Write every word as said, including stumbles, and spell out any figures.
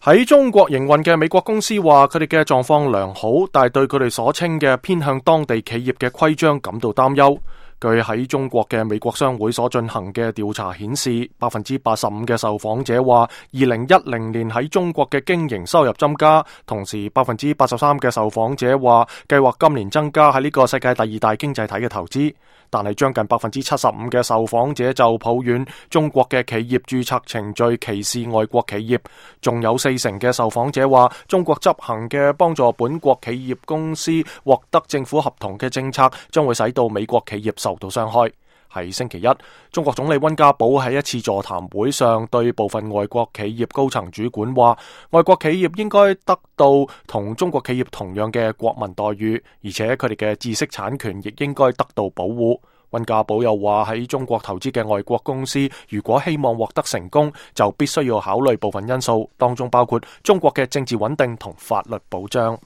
喺中國營運嘅美國公司話，佢哋嘅狀況良好，但係對佢哋所稱嘅偏向當地企業嘅規章感到擔憂。據喺中國嘅美國商會所進行嘅調查顯示，百分之八十五嘅受訪者話，二零一零年喺中國嘅經營收入增加，同時百分之八十三嘅受訪者話，計劃今年增加喺呢個世界第二大經濟體嘅投資。但係將近百分之七十五嘅受訪者就抱怨中國嘅企業註冊程序歧視外國企業，仲有四成嘅受訪者話，中國執行嘅幫助本國企業公司獲得政府合同嘅政策將會使到美國企業受到傷害。喺星期一，中國總理溫家寶喺一次座談會上對部分外國企業高層主管話，外國企業應該得到同中國企業同樣嘅國民待遇，而且佢哋嘅知識產權亦應該得到保護。溫家寶又話，喺中國投資嘅外國公司如果希望獲得成功，就必須要考慮部分因素，當中包括中國嘅政治穩定同法律保障。